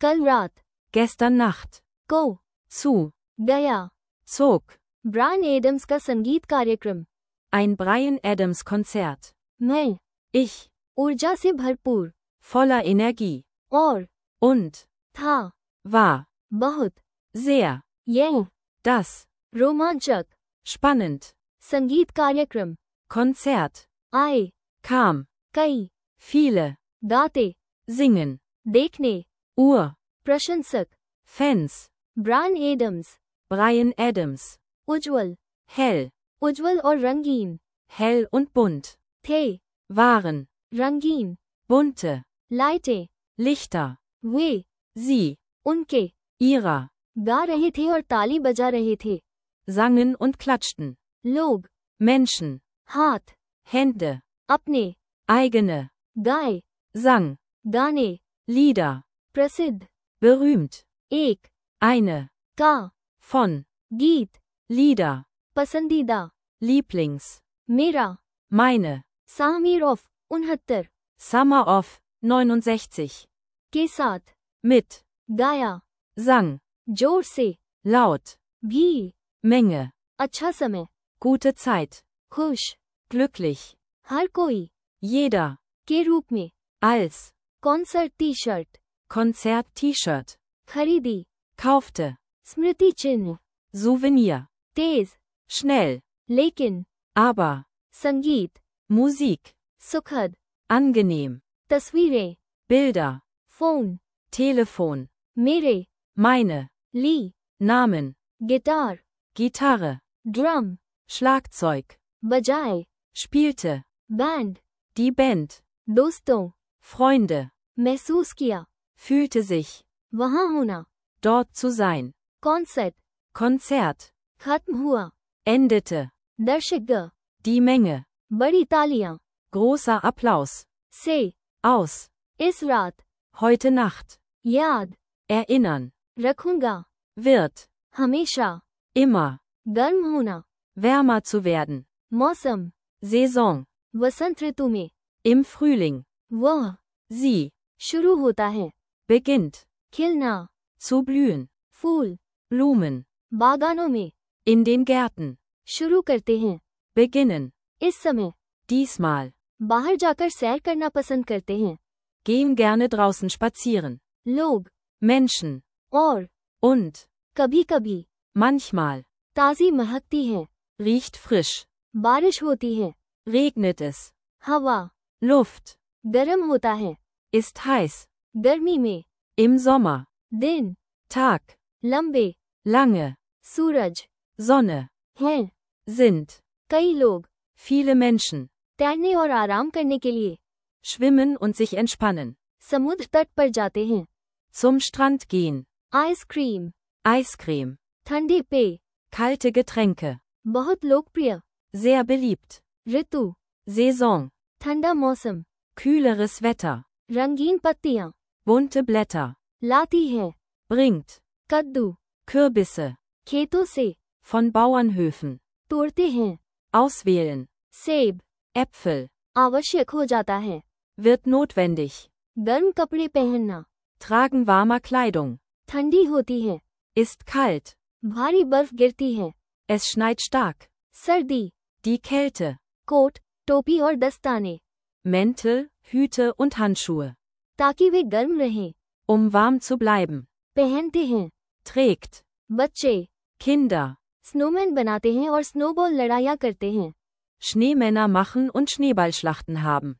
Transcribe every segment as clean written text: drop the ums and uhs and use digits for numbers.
कल रात, gestern Nacht, को, zu, गया, zog, ब्रायन एडम्स का संगीत कार्यक्रम, ein Bryan Adams Konzert. मैं, Ich, ऊर्जा से भरपूर, voller Energie, और, und, था, war, बहुत, sehr, यह, das, रोमांचक, spannend, संगीत कार्यक्रम, Konzert, आए, kam, कई, viele, गाते, singen, देखने, Uhr, प्रशंसक, Fans, Bryan Adams, Bryan Adams, उज्ज्वल, hell, उज्ज्वल और रंगीन, hell und bunt, थे, waren, रंगीन, bunte, लाइटें, Lichter, वे, sie, उनके, ihrer, गा रहे थे और ताली बजा रहे थे, sangen und klatschten, लोग, Menschen, हाथ, Hände, अपने, eigene, गाए, Sang, गाने, Lieder, प्रसिद्ध, berühmt, एक, eine, का, von, गीत, Lieder, पसंदीदा, Lieblings, मेरा, meine, सामीर ऑफ 69 Summer of, 69, के साथ, mit, गाया, sang, जोर से, laut, भी, Menge, अच्छा समय, gute Zeit, खुश, glücklich, हर कोई, jeder, के रूप में, als, concert T shirt, Konzert-T-Shirt, खरीदी, kaufte, स्मृति चिन्ह, Souvenir, तेज, schnell, लेकिन, aber, संगीत, Musik, सुखद, angenehm, तस्वीरें, Bilder, फोन, Telefon, मेरे, meine, ली, Namen, guitar, Gitarre, drum, Schlagzeug, बजाए, spielte, बैंड, die Band, दोस्तों, Freunde, महसूस किया, fühlte sich, वहां होना, dort zu sein, concert, Konzert, खत्म हुआ, endete, दर्शक, die Menge, बड़ी तालियां, großer Applaus, से, aus, इस रात, heute Nacht, याद, erinnern, रखूंगा, wird, हमेशा, immer, गर्म होना, wärmer zu werden, मौसम, Saison, वसंत ऋतु में, im Frühling, वह, sie, शुरू होता है, beginnt, खिलना, zu blühen, फूल, Blumen, बागानों में, in den Gärten, शुरू करते हैं, beginnen, इस समय, diesmal, बाहर जाकर सैर करना पसंद करते हैं, gehen gerne draußen spazieren, लोग, Menschen, और, und, कभी कभी, manchmal, ताजी महकती है, riecht frisch, बारिश होती है, regnet es, हवा, Luft, गर्म होता है, ist heiß, गर्मी में, im Sommer, दिन, Tag, लंबे, lange, सूरज, Sonne, हैं, sind, कई लोग, viele Menschen, तैरने और आराम करने के लिए, schwimmen und sich entspannen, समुद्र तट पर जाते हैं, zum Strand gehen, ice cream, Eiscreme, ठंडे पेय, kalte Getränke, बहुत लोकप्रिय, sehr beliebt, ऋतु, Saison, ठंडा मौसम, kühleres Wetter, रंगीन पत्तियां, bunte Blätter, लाती है, bringt, कद्दू, Kürbisse, खेतों से, von Bauernhöfen, तोड़ते हैं, auswählen, सेब, Äpfel, आवश्यक हो जाता है, wird notwendig, गर्म कपड़े पहनना, tragen warmer Kleidung, ठंडी होती है, ist kalt, भारी बर्फ गिरती है, es schneit stark, सर्दी, die Kälte, कोट, टोपी और दस्ताने, Mäntel, Hüte und Handschuhe, ताकि वे गर्म रहें, warm zu bleiben, पहनते हैं, trägt, बच्चे, Kinder, स्नोमैन बनाते हैं और स्नोबॉल लड़ाइयाँ करते हैं, Schneemänner machen und Schneeballschlachten haben,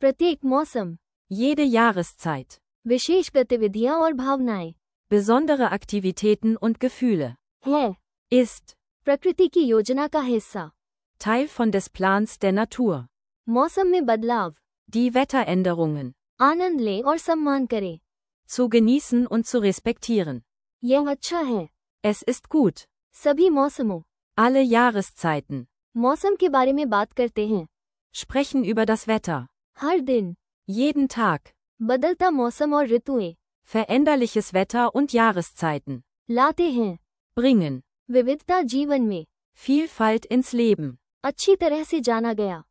प्रत्येक मौसम, jede Jahreszeit, विशेष गतिविधियाँ और भावनाएं, besondere Aktivitäten und Gefühle, है, ist, प्रकृति की योजना का हिस्सा, Teil von des Plans der Natur, मौसम में बदलाव, die Wetteränderungen, आनंद लें और सम्मान करें, zu genießen und zu respektieren, यह अच्छा है, es ist gut, सभी मौसमों, alle Jahreszeiten, मौसम के बारे में बात करते हैं, sprechen über das Wetter, हर दिन, jeden Tag, बदलता मौसम और ऋतुएं, veränderliches Wetter und Jahreszeiten, लाते हैं, bringen, विविधता जीवन में, Vielfalt ins Leben, अच्छी तरह से जाना गया,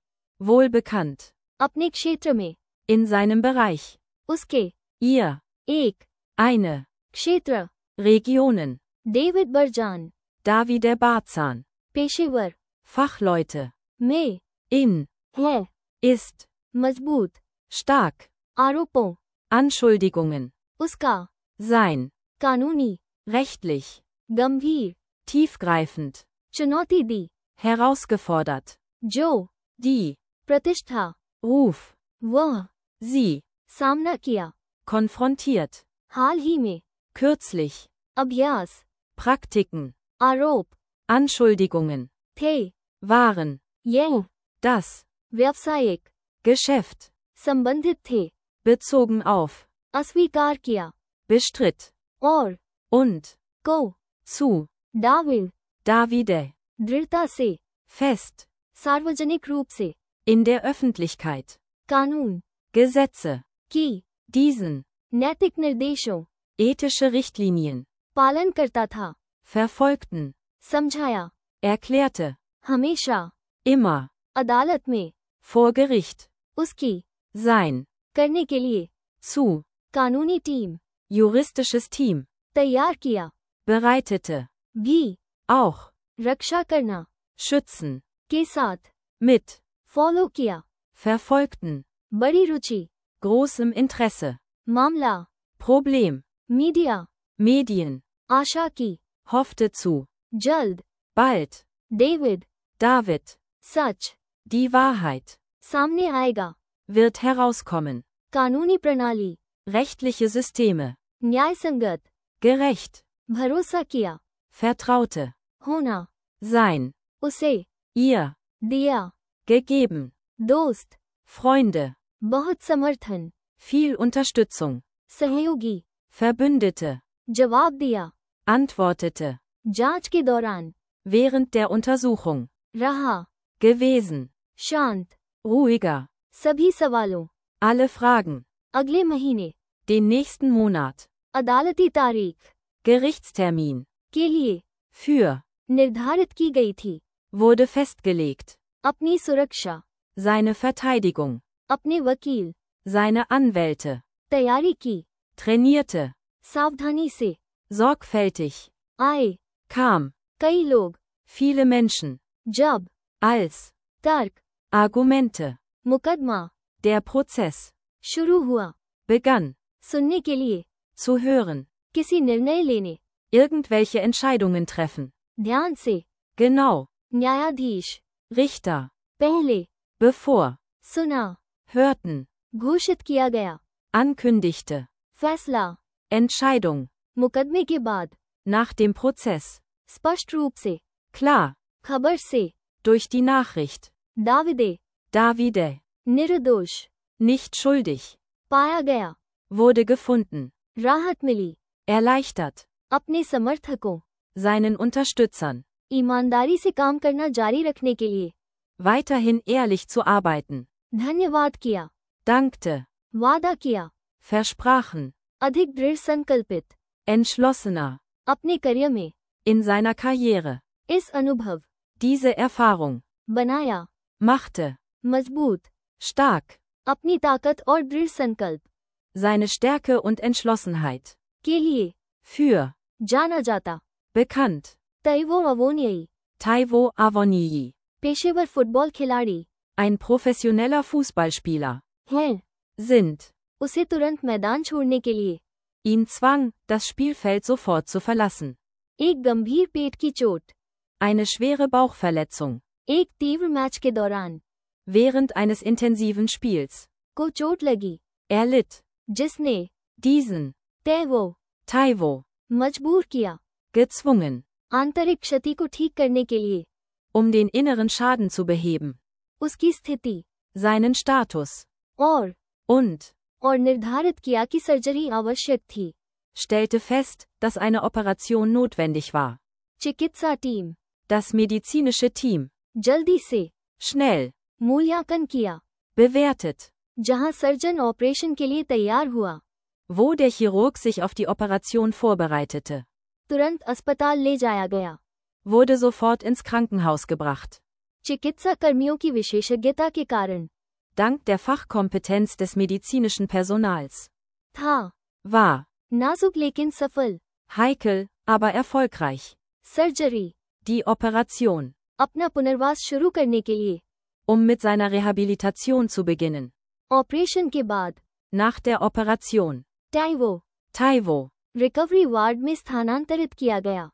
wohlbekannt, अपने क्षेत्र में, in seinem Bereich, उसके, ihr, एक, eine, क्षेत्र, Regionen, डेविड बर्जान, Davide Barzan, पेशेवर, Fachleute, में, in, है, ist, मजबूत, stark, आरोपों, Anschuldigungen, उसका, sein, कानूनी, rechtlich, गंभीर, tiefgreifend, चुनौती दी, herausgefordert, जो, die, प्रतिष्ठा, Ruf, वह, sie, सामना किया, konfrontiert, हाल ही में, kürzlich, अभ्यास, Praktiken, आरोप, Anschuldigungen, थे, waren, यह, das, व्यावसायिक, Geschäft, संबंधित थे, bezogen auf, अस्वीकार किया, bestritt, और, und, को, zu, दाविद, Davide, दृढ़ता से, fest, सार्वजनिक रूप से, in der Öffentlichkeit, कानून, Gesetze, की, diesen, नैतिक निर्देशों, ethische Richtlinien, पालन करता था, verfolgten, समझाया, erklärte, हमेशा, immer, अदालत में, vor Gericht, उसकी, sein, करने के लिए, zu, कानूनी टीम, juristisches Team, तैयार किया, bereitete, भी, auch, रक्षा करना, schützen, के साथ, mit, फॉलो किया, verfolgten, बड़ी रुचि, großem Interesse, मामला, Problem, मीडिया, Medien, आशा की, hoffte zu, जल्द, bald, डेविड, David, सच, die Wahrheit, सामने आएगा, wird herauskommen, कानूनी प्रणाली, rechtliche Systeme, न्यायसंगत, gerecht, भरोसा किया, vertraute, होना, sein, उसे, ihr, दिया, gegeben, दोस्त, Freunde, बहुत समर्थन, viel Unterstützung, सहयोगी, Verbündete, जवाब दिया, antwortete, जांच के दौरान, während der Untersuchung, रहा, gewesen, शांत, ruhiger, सभी सवालों, alle Fragen, अगले महीने, den nächsten Monat, अदालती तारीख, Gerichtstermin, के लिए, für, निर्धारित की गई थी, wurde festgelegt, अपनी सुरक्षा, seine Verteidigung, अपने वकील, seine Anwälte, तैयारी की, trainierte, सावधानी से, sorgfältig, आए, kam, कई लोग, viele Menschen, जब, als, तर्क, Argumente, मुकदमा, der Prozess, शुरू हुआ, begann, सुनने के लिए, zu hören, किसी निर्णय लेने, irgendwelche Entscheidungen treffen, ध्यान से, genau, न्यायाधीश, Richter, पहले, bevor, सुना, hörten, घोषित किया गया, ankündigte, फैसला, Entscheidung, मुकदमे के बाद, nach dem Prozess, स्पष्ट रूप से, klar, खबर से, durch die Nachricht, दाविदे, Davide, निर्दोष, nicht schuldig, पाया गया, wurde gefunden, राहत मिली, erleichtert, अपने समर्थकों, seinen Unterstützern, ईमानदारी से काम करना जारी रखने के लिए, weiterhin ehrlich zu arbeiten, धन्यवाद किया, dankte, वादा किया, versprachen, अधिक दृढ़ संकल्पित, entschlossener, अपने करियर में, in seiner Karriere, इस अनुभव, diese Erfahrung, बनाया, machte, मजबूत, stark, अपनी ताकत और दृढ़ संकल्प, seine Stärke und Entschlossenheit, के लिए, für, जाना जाता, bekannt, तैवो अवोनियई, Taiwo Avonii, पेशेवर फुटबॉल खिलाड़ी, ein professioneller Fußballspieler, हैं, sind, उसे तुरंत मैदान छोड़ने के लिए, ihn zwang, das Spielfeld sofort zu verlassen, एक गंभीर पेट की चोट, eine schwere Bauchverletzung, एक तीव्र मैच के दौरान, während eines intensiven Spiels, को चोट लगी, erlitt, जिसने, diesen, तैवो, Taiwo, मजबूर किया, gezwungen, आंतरिक क्षति को ठीक करने के लिए, um den inneren Schaden zu beheben, उसकी स्थिति, seinen Status, और und, निर्धारित किया कि सर्जरी आवश्यक थी, stellte fest, dass eine Operation notwendig war. चिकित्सा टीम, Das medizinische Team, जल्दी से, schnell, मूल्यांकन किया, bewertet, जहां सर्जन ऑपरेशन के लिए तैयार हुआ, wo der Chirurg sich auf die Operation vorbereitete, तुरंत अस्पताल ले जाया गया, wurde sofort ins Krankenhaus gebracht. चिकित्सा कर्मियों की विशेषज्ञता के कारण, Dank der Fachkompetenz des medizinischen Personals, था, war, नाजुक लेकिन सफल। Heikel, aber erfolgreich. Surgery, Die Operation. अपना पुनर्वास शुरू करने के लिए। Mit seiner Rehabilitation zu beginnen. Operation के बाद। Nach der Operation. टाइवो, Taiwo. रिकवरी वार्ड में स्थानांतरित किया गया।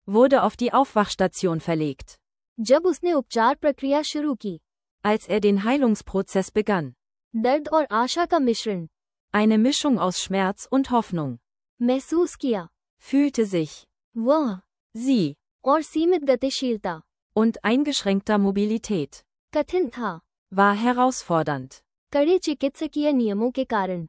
Wurde auf die Aufwachstation verlegt. जब उसने उपचार प्रक्रिया शुरू की। Als den Heilungsprozess begann. दर्द और आशा का मिश्रण। Eine Mischung aus Schmerz und Hoffnung. महसूस किया। Fühlte sich. वह, Sie. और सीमित गतिशीलता। Und eingeschränkter Mobilität. कठिन था। War herausfordernd. कड़े चिकित्सकीय नियमों के कारण।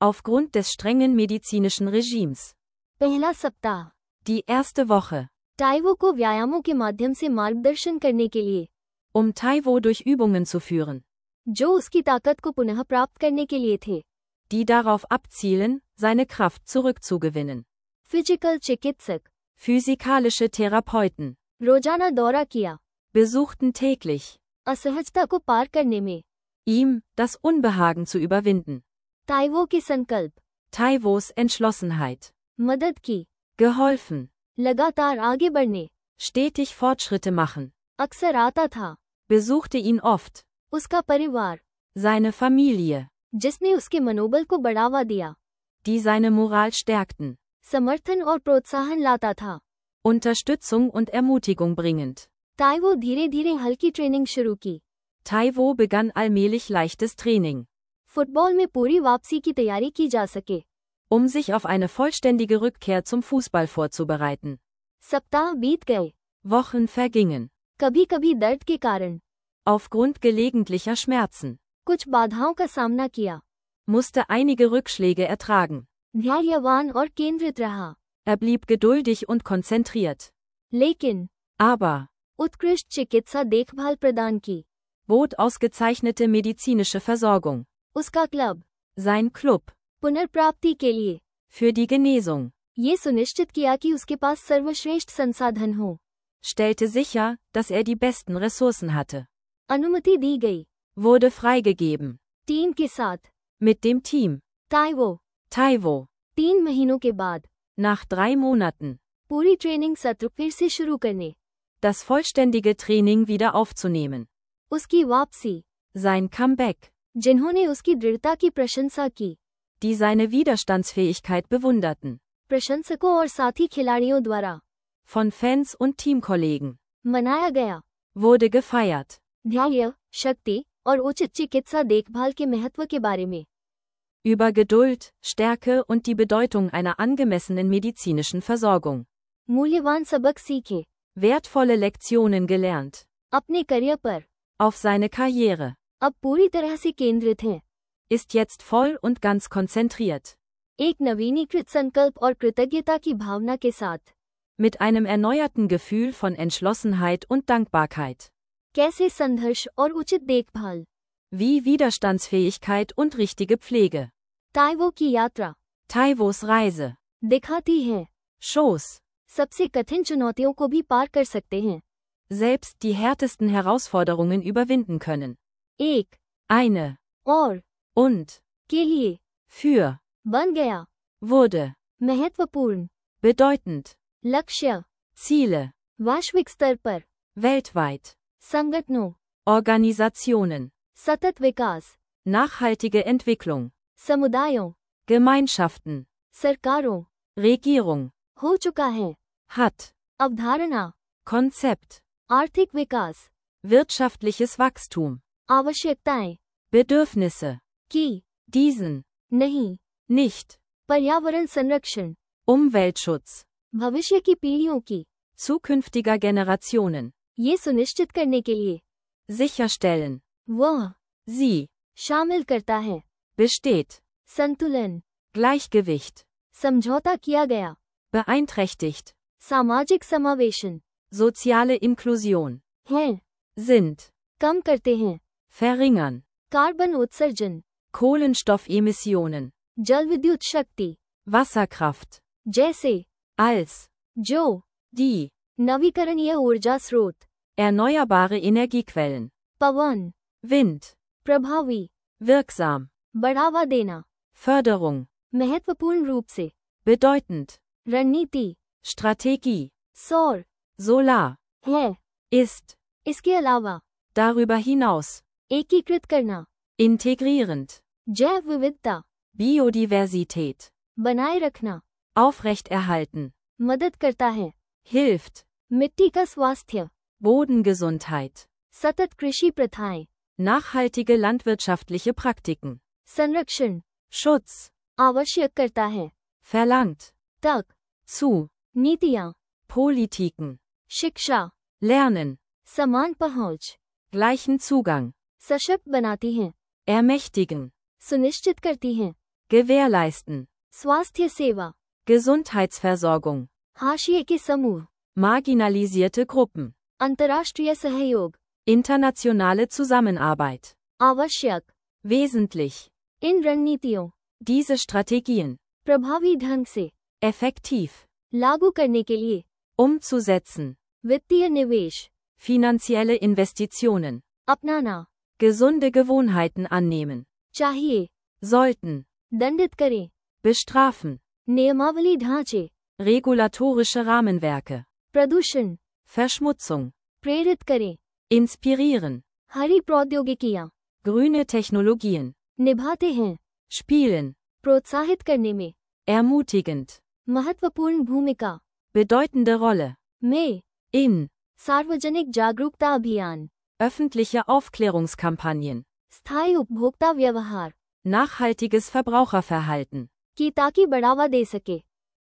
Aufgrund des strengen medizinischen Regimes. पहला सप्ताह। Die erste Woche. टाइवो को व्यायामों के माध्यम से मार्गदर्शन करने के लिए। Taiwo durch Übungen zu führen. जो उसकी ताकत को पुनः प्राप्त करने के लिए थे। Die darauf abzielen, seine Kraft zurückzugewinnen. Physical चिकित्सक। Physikalische Therapeuten. रोजाना दौरा किया। Besuchten täglich. असहजता को पार करने में। Ihm, das Unbehagen zu überwinden. टाइवो के संकल्प। Taiwos Entschlossenheit. मदद की। Geholfen. लगातार आगे बढ़ने। Stetig Fortschritte machen. अक्सर आता था। Besuchte ihn oft. उसका परिवार। Seine Familie. जिसने उसके मनोबल को बढ़ावा दिया। Die seine Moral stärkten. समर्थन और प्रोत्साहन लाता था। Unterstützung und Ermutigung bringend. टाइवो धीरे धीरे हल्की ट्रेनिंग शुरू की। Taiwo begann allmählich leichtes Training. Football में पूरी वापसी की तैयारी की जा सके। Sich auf eine vollständige Rückkehr zum Fußball vorzubereiten. सप्ताह बीत गए। Wochen vergingen. कभी कभी दर्द के कारण। Aufgrund gelegentlicher Schmerzen. कुछ बाधाओं का सामना किया। Musste einige Rückschläge ertragen. धैर्यवान और केंद्रित रहा। Blieb geduldig und konzentriert. लेकिन Aber उत्कृष्ट चिकित्सा देखभाल प्रदान की। bot ausgezeichnete medizinische Versorgung. उसका क्लब। Sein Club. पुनर्प्राप्ति के लिए। Für die Genesung. ये सुनिश्चित किया कि उसके पास सर्वश्रेष्ठ संसाधन हो। Stellte sicher, dass die besten Ressourcen hatte. अनुमति दी गई। Wurde freigegeben. टीम के साथ। Mit dem Team. Taiwo। 3 महीनों के बाद। Nach 3 Monaten. पूरी ट्रेनिंग सत्र फिर से शुरू करने। Das vollständige Training wieder aufzunehmen. उसकी वापसी। Sein Comeback. जिन्होंने उसकी दृढ़ता की प्रशंसा की। Die seine Widerstandsfähigkeit bewunderten. प्रशंसकों और साथी खिलाड़ियों द्वारा। Von Fans und Teamkollegen. मनाया गया। Wurde gefeiert. धैर्य, शक्ति और उचित चिकित्सा देखभाल के महत्व के बारे में। Über Geduld, Stärke und die Bedeutung einer angemessenen medizinischen Versorgung. मूल्यवान सबक सीखे। Wertvolle Lektionen gelernt. अपने करियर पर। Auf seine Karriere. अब पूरी तरह से केंद्रित हैं। Ist jetzt voll und ganz konzentriert. एक नवीनीकृत संकल्प और कृतज्ञता की भावना के साथ। Mit einem erneuerten Gefühl von Entschlossenheit und Dankbarkeit. कैसे संघर्ष और उचित देखभाल। Wie Widerstandsfähigkeit und richtige Pflege. टाइवो की यात्रा। Taiwos Reise. दिखाती है। Shows. सबसे कठिन चुनौतियों को भी पार कर सकते हैं। Selbst die härtesten Herausforderungen überwinden können. एक। Eine. और। Und. के लिए। Für. बन गया। Wurde. महत्वपूर्ण। Bedeutend. लक्ष्य। Ziele. वैश्विक स्तर पर। Weltweit. संगठनों। Organisationen. सतत विकास। Nachhaltige Entwicklung. समुदायों। Gemeinschaften. सरकारों। Regierung. हो चुका है। Hat. अवधारणा। Konzept. आर्थिक विकास। Wirtschaftliches Wachstum. आवश्यकताएं। Bedürfnisse. की। Diesen. नहीं। Nicht. पर्यावरण संरक्षण। Umweltschutz. भविष्य की पीढ़ियों की। Zukünftiger Generationen. ये सुनिश्चित करने के लिए। Sicherstellen. वह। Sie. शामिल करता है। Besteht. संतुलन। Gleichgewicht. समझौता किया गया। Beeinträchtigt. सामाजिक समावेशन। Soziale Inklusion. हैं। Sind. कम करते हैं। Verringern. कार्बन उत्सर्जन। Kohlenstoffemissionen. जल विद्युत शक्ति। Wasserkraft. जैसे। Als. जो। Die. नवीकरणीय ऊर्जा स्रोत। Erneuerbare Energiequellen. पवन। Wind. प्रभावी। Wirksam. बढ़ावा देना। Förderung. महत्वपूर्ण रूप से। bedeutend, रणनीति, Strategie, सौर, Solar, है, ist, इसके अलावा, darüber hinaus, एकीकृत करना, integrierend, जैव विविधता, Biodiversität, बनाए रखना, aufrechterhalten, मदद करता है, hilft, मिट्टी का स्वास्थ्य, Bodengesundheit, सतत कृषि प्रथाएं, nachhaltige landwirtschaftliche Praktiken, संरक्षण, Schutz, आवश्यक करता है, verlangt, तक, zu, नीतियां, Politiken, शिक्षा, lernen, समान पहुंच, gleichen Zugang, सशक्त बनाती हैं, ermächtigen, सुनिश्चित करती हैं, gewährleisten, स्वास्थ्य सेवा, Gesundheitsversorgung, हाशिए के समूह, marginalisierte Gruppen, अंतर्राष्ट्रीय सहयोग, internationale Zusammenarbeit, आवश्यक, wesentlich, इन रणनीतियों, diese Strategien, प्रभावी ढंग से, effektiv, लागू करने के लिए, umzusetzen, वित्तीय निवेश, finanzielle Investitionen, अपनाना, gesunde Gewohnheiten annehmen, चाहिए, sollten, दंडित करें, bestrafen, नियमावली ढांचे, regulatorische Rahmenwerke, प्रदूषण, Verschmutzung, प्रेरित करें, inspirieren, हरी प्रौद्योगिकियां, grüne Technologien, निभाते हैं, spielen, प्रोत्साहित करने में, ermutigend, महत्वपूर्ण भूमिका, bedeutende Rolle, में, in, सार्वजनिक जागरूकता अभियान, öffentliche Aufklärungskampagnen, स्थायी उपभोक्ता व्यवहार, nachhaltiges Verbraucherverhalten, की ताकि बढ़ावा दे सके,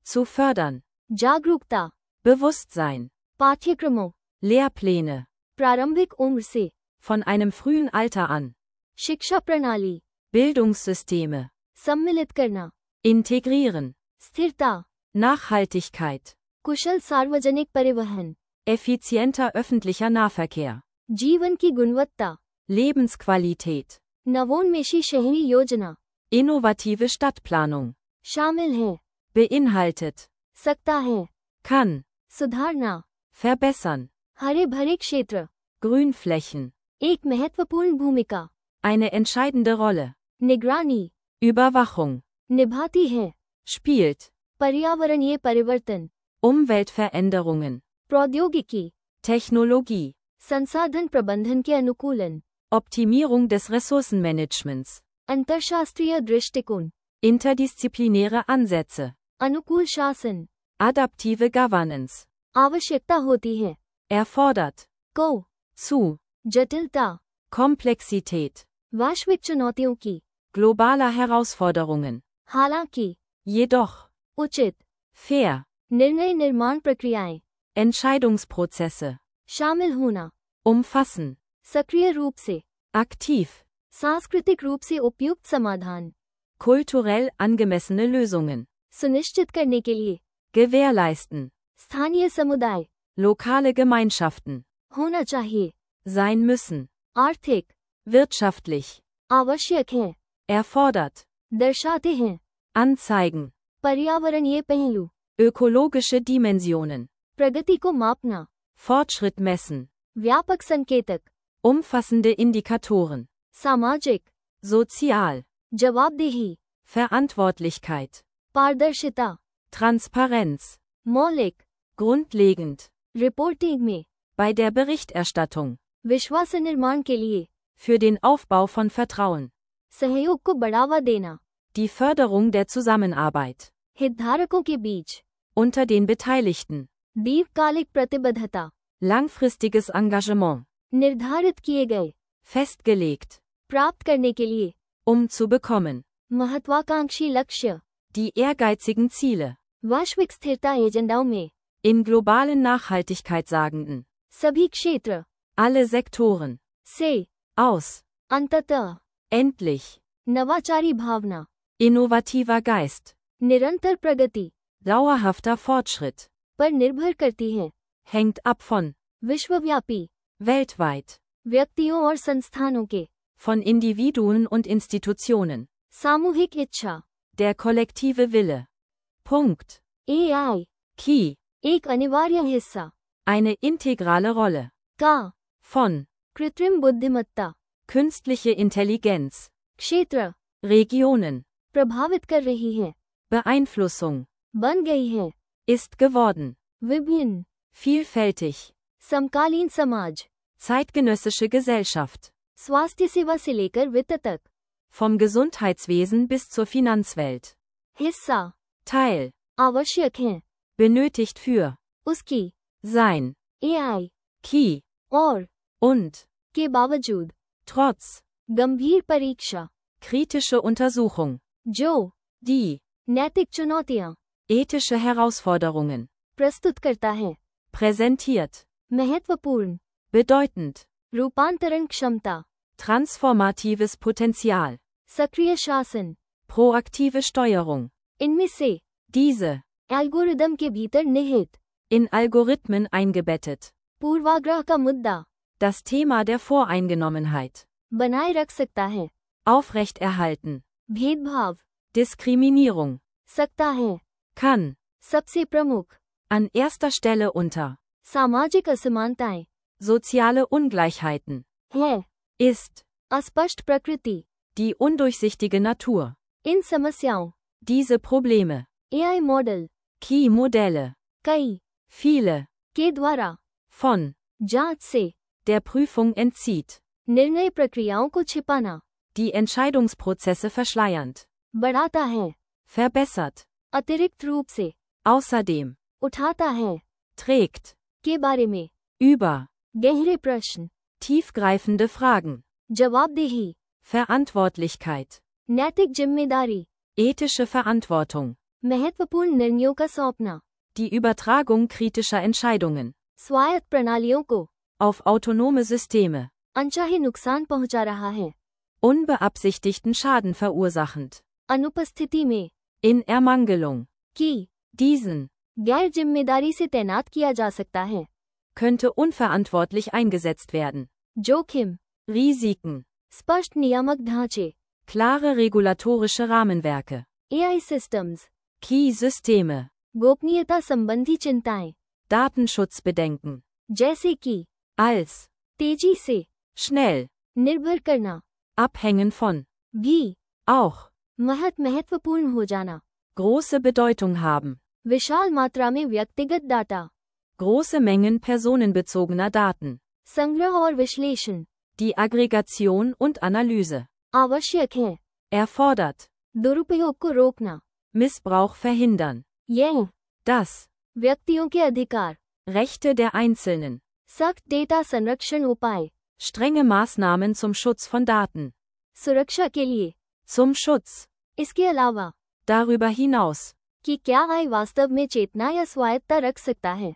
zu fördern, जागरूकता, Bewusstsein, पाठ्यक्रमों, Lehrpläne, प्रारंभिक उम्र से, von einem frühen Alter an, शिक्षा प्रणाली, Bildungssysteme, सम्मिलित करना, integrieren, स्थिरता, Nachhaltigkeit, कुशल सार्वजनिक परिवहन, effizienter öffentlicher Nahverkehr, जीवन की गुणवत्ता, Lebensqualität, नवोन्मेषी शहरी योजना, innovative Stadtplanung, शामिल है, beinhaltet, सकता है, kann, सुधारना, verbessern, हरे भरे क्षेत्र, Grünflächen, एक महत्वपूर्ण भूमिका, eine entscheidende Rolle, निगरानी, Überwachung, निभाती है, spielt, पर्यावरणीय परिवर्तन, Umweltveränderungen, प्रौद्योगिकी, Technologie, संसाधन प्रबंधन के अनुकूलन, Optimierung des Ressourcenmanagements, अंतरशास्त्रीय दृष्टिकोण, interdisziplinäre Ansätze, अनुकूल शासन, adaptive Governance, आवश्यकता होती है, erfordert, को, zu, जटिलता, Komplexität, वैश्विक चुनौतियों की, globaler Herausforderungen, हालांकि, jedoch, उचित, fair, निर्णय निर्माण प्रक्रियाएं, Entscheidungsprozesse, शामिल होना, umfassen, सक्रिय रूप से, aktiv, सांस्कृतिक रूप से उपयुक्त समाधान, kulturell angemessene Lösungen, सुनिश्चित करने के लिए, gewährleisten, स्थानीय समुदाय, lokale Gemeinschaften, होना चाहिए, sein müssen, आर्थिक, wirtschaftlich, आवश्यक है, erfordert, दर्शाते हैं, anzeigen, पर्यावरणीय पहलू, ökologische Dimensionen, प्रगति को मापना, Fortschritt messen, व्यापक संकेतक, umfassende Indikatoren, सामाजिक, sozial, जवाबदेही, Verantwortlichkeit, पारदर्शिता, Transparenz, मौलिक, grundlegend, रिपोर्टिंग में, bei der Berichterstattung, विश्वास निर्माण के लिए, für den Aufbau von Vertrauen, सहयोग को बढ़ावा देना, die Förderung der Zusammenarbeit, हितधारकों के बीच, unter den Beteiligten, दीर्घकालिक प्रतिबद्धता, langfristiges Engagement, निर्धारित किए गए, festgelegt, प्राप्त करने के लिए, zu bekommen, महत्वाकांक्षी लक्ष्य, die ehrgeizigen Ziele, वैश्विक स्थिरता एजेंडाओं में, in globalen Nachhaltigkeitssagenden, सभी क्षेत्र, alle Sektoren, से, aus, अंततः, endlich, नवाचारी भावना, innovativer Geist, निरंतर प्रगति, dauerhafter Fortschritt, पर निर्भर करती है, hängt ab von, विश्वव्यापी, weltweit, व्यक्तियों और संस्थानों के, von Individuen und Institutionen, सामूहिक इच्छा, der kollektive Wille. Punkt. AI, Key, एक अनिवार्य हिस्सा, eine integrale Rolle, का, von, कृत्रिम बुद्धिमत्ता, künstliche Intelligenz, क्षेत्र, Regionen, प्रभावित कर रही है, Beeinflussung, बन गई है, ist geworden, विभिन्न, vielfältig, समकालीन समाज, zeitgenössische Gesellschaft, स्वास्थ्य सेवा से लेकर वित्त तक, vom Gesundheitswesen bis zur Finanzwelt, हिस्सा, Teil, आवश्यक है, benötigt für, उसकी, sein, AI, Key, और, und, के बावजूद, trotz, गंभीर परीक्षा, kritische Untersuchung, जो, die, नैतिक चुनौतियां, ethische Herausforderungen, प्रस्तुत करता है, präsentiert, महत्वपूर्ण, bedeutend, रूपांतरण क्षमता, transformatives Potenzial, सक्रिय शासन, proaktive Steuerung, इनमें से, diese, एल्गोरिदम के भीतर निहित, in Algorithmen eingebettet, पूर्वाग्रह का मुद्दा, das Thema der Voreingenommenheit, बनाए रख सकता है, aufrechterhalten, भेदभाव, Diskriminierung, सकता है, kann, सबसे प्रमुख, an erster Stelle unter, सामाजिक असमानताएं, soziale Ungleichheiten, है, ist, अस्पष्ट प्रकृति, die undurchsichtige Natur, इन समस्याओं, diese Probleme, AI model, Key-Modelle, कई, viele, के द्वारा, von, जांच से, der Prüfung entzieht, निर्णय प्रक्रियाओं को छिपाना, die Entscheidungsprozesse verschleiernd, बढ़ाता है, verbessert, अतिरिक्त रूप से, außerdem, उठाता है, trägt, के बारे में, über, गहरे प्रश्न, tiefgreifende Fragen, जवाबदेही, Verantwortlichkeit, नैतिक जिम्मेदारी, ethische Verantwortung, महत्वपूर्ण निर्णयों का सौंपना, die Übertragung kritischer Entscheidungen, स्वायत्त प्रणालियों को, auf autonome Systeme, अनचाहे नुकसान पहुंचा रहा है, unbeabsichtigten Schaden verursachend, अनुपस्थिति में, in Ermangelung, की, diesen, गैर जिम्मेदारी से तैनात किया जा सकता है, könnte unverantwortlich eingesetzt werden, जोखिम, Risiken, स्पष्ट नियामक ढांचे, klare regulatorische Rahmenwerke, AI systems, Key-Systeme, गोपनीयता संबंधी चिंताएं, Datenschutzbedenken, जैसे कि, als, तेजी से, schnell, निर्भर करना, abhängen von, भी, auch, महत्वपूर्ण हो जाना, große Bedeutung haben, विशाल मात्रा में व्यक्तिगत data, große Mengen personenbezogener Daten, संग्रह और विश्लेषण, die Aggregation und Analyse, आवश्यक है, erfordert, दुरुपयोग को रोकना, Missbrauch verhindern, यह, das, व्यक्तियों के अधिकार, Rechte der Einzelnen, सख्त डेटा संरक्षण उपाय, strenge Maßnahmen zum Schutz von Daten, सुरक्षा के लिए, zum Schutz, इसके अलावा, darüber hinaus, कि क्या AI वास्तव में चेतना या स्वायत्तता रख सकता है,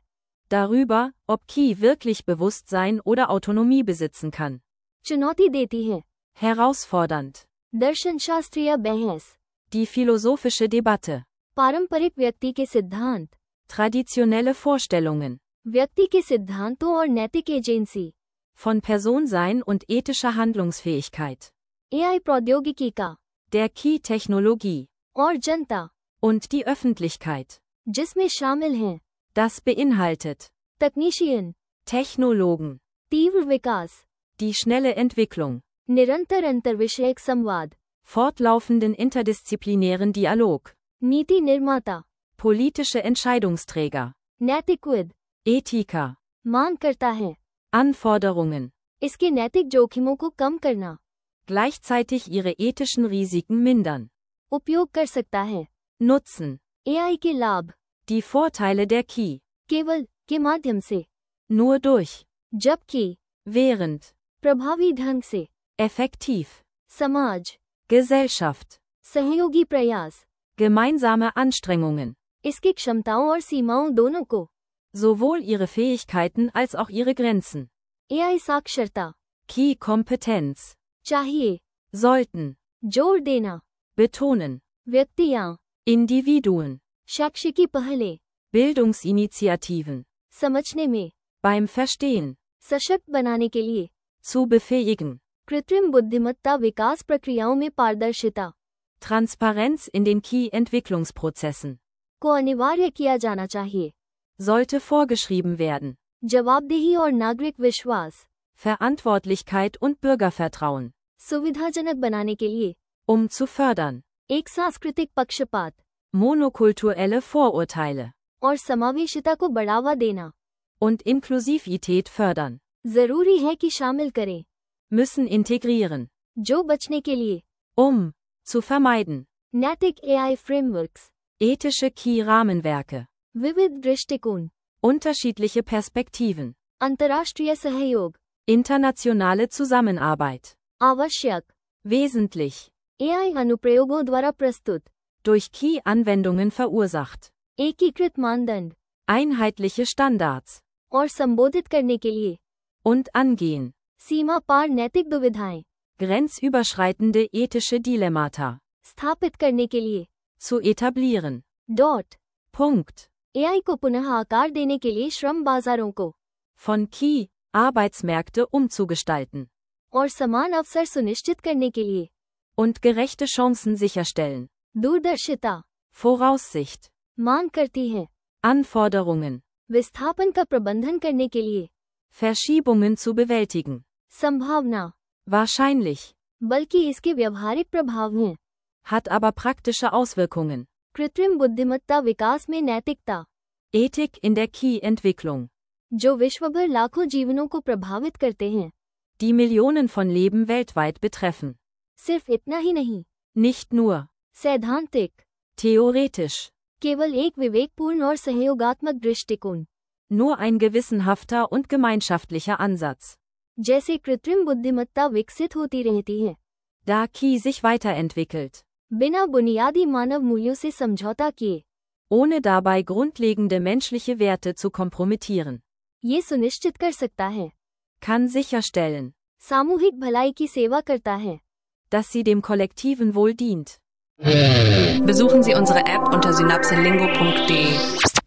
darüber, ob Key wirklich Bewusstsein oder Autonomie besitzen kann, चुनौती देती है, herausfordernd, दर्शनशास्त्रीय बहस, die philosophische Debatte, पारंपरिक व्यक्ति के सिद्धांत, traditionelle Vorstellungen, व्यक्ति के सिद्धांतों और नैतिक agency, von Personsein und ethischer Handlungsfähigkeit, AI प्रौद्योगिकी का, der Key-Technologie, और जनता, und die Öffentlichkeit, जिसमें शामिल हैं, das beinhaltet, तकनीशियन, Technologen, तीव्र विकास, die schnelle Entwicklung, निरंतर अंतर्विषयक संवाद, fortlaufenden interdisziplinären Dialog, नीति निर्माता, politische Entscheidungsträger, नैतिकविद, Ethiker, मांग करता है, Anforderungen, इसके नैतिक जोखिमों को कम करना, gleichzeitig ihre ethischen Risiken mindern, उपयोग कर सकता है, nutzen, AI के लाभ, die Vorteile der Key, केवल, के माध्यम से, nur durch, जबकि, während, प्रभावी ढंग से, effektiv, समाज, Gesellschaft, सहयोगी प्रयास, gemeinsame Anstrengungen, इसकी क्षमताओं और सीमाओं दोनों को, sowohl ihre Fähigkeiten als auch ihre Grenzen, AI साक्षरता, Key-Kompetenz, चाहिए, sollten, जोर देना, betonen, व्यक्तियां, Individuen, शैक्षिकी पहले, Bildungsinitiativen, समझने में, beim Verstehen, सशक्त बनाने के लिए, zu befähigen, कृत्रिम बुद्धिमत्ता विकास प्रक्रियाओं में पारदर्शिता, Transparenz in den Key-Entwicklungsprozessen, को अनिवार्य किया जाना चाहिए, sollte vorgeschrieben werden, जवाबदेही और नागरिक विश्वास, Verantwortlichkeit und Bürgervertrauen, सुविधाजनक बनाने के लिए, zu fördern, एक सांस्कृतिक पक्षपात, monokulturelle Vorurteile और समावेशिता को बढ़ावा देना und Inklusivität fördern, जरूरी है कि शामिल करें, müssen integrieren, जो बचने के लिए zu vermeiden, नैतिक एआई फ्रेमवर्क्स, ethische Key-Rahmenwerke, विविध दृष्टिकोण, unterschiedliche Perspektiven, अंतर्राष्ट्रीय सहयोग, internationale Zusammenarbeit, आवश्यक, wesentlich, एआई अनुप्रयोगों द्वारा प्रस्तुत, durch Key-Anwendungen verursacht, एकीकृत मानदंड einheitliche Standards और संबोधित करने के लिए und angehen, सीमा पार नैतिक दुविधाएं grenzüberschreitende ethische Dilemmata, स्थापित करने के लिए zu etablieren, dot Punkt, AI को पुनः आकार देने के लिए श्रम बाजारों को von Key, Arbeitsmärkte umzugestalten और समान अवसर सुनिश्चित करने के लिए und gerechte Chancen sicherstellen, दूरदर्शिता Voraussicht, मांग करती है Anforderungen, विस्थापन का प्रबंधन करने के लिए Verschiebungen zu bewältigen, संभावना wahrscheinlich, बल्कि इसके व्यवहारिक प्रभाव हैं hat aber praktische Auswirkungen, कृत्रिम बुद्धिमत्ता विकास में नैतिकता Ethik in der Key-Entwicklung, जो विश्वभर लाखों जीवनों को प्रभावित करते हैं, die Millionen von Leben weltweit betreffen, सिर्फ इतना ही नहीं, nicht nur, सैद्धांतिक, theoretisch, केवल एक विवेकपूर्ण और सहयोगात्मक दृष्टिकोण, nur ein gewissenhafter und gemeinschaftlicher Ansatz, जैसे कृत्रिम बुद्धिमत्ता विकसित होती रहती है, da Key sich weiterentwickelt, बिना बुनियादी मानव मूल्यों से समझौता किए, ohne dabei grundlegende menschliche Werte zu kompromittieren, ये सुनिश्चित कर सकता है, kann sicherstellen, सामूहिक भलाई की सेवा करता है, dass sie dem kollektiven Wohl dient. Besuchen Sie unsere App unter synapselingo.de.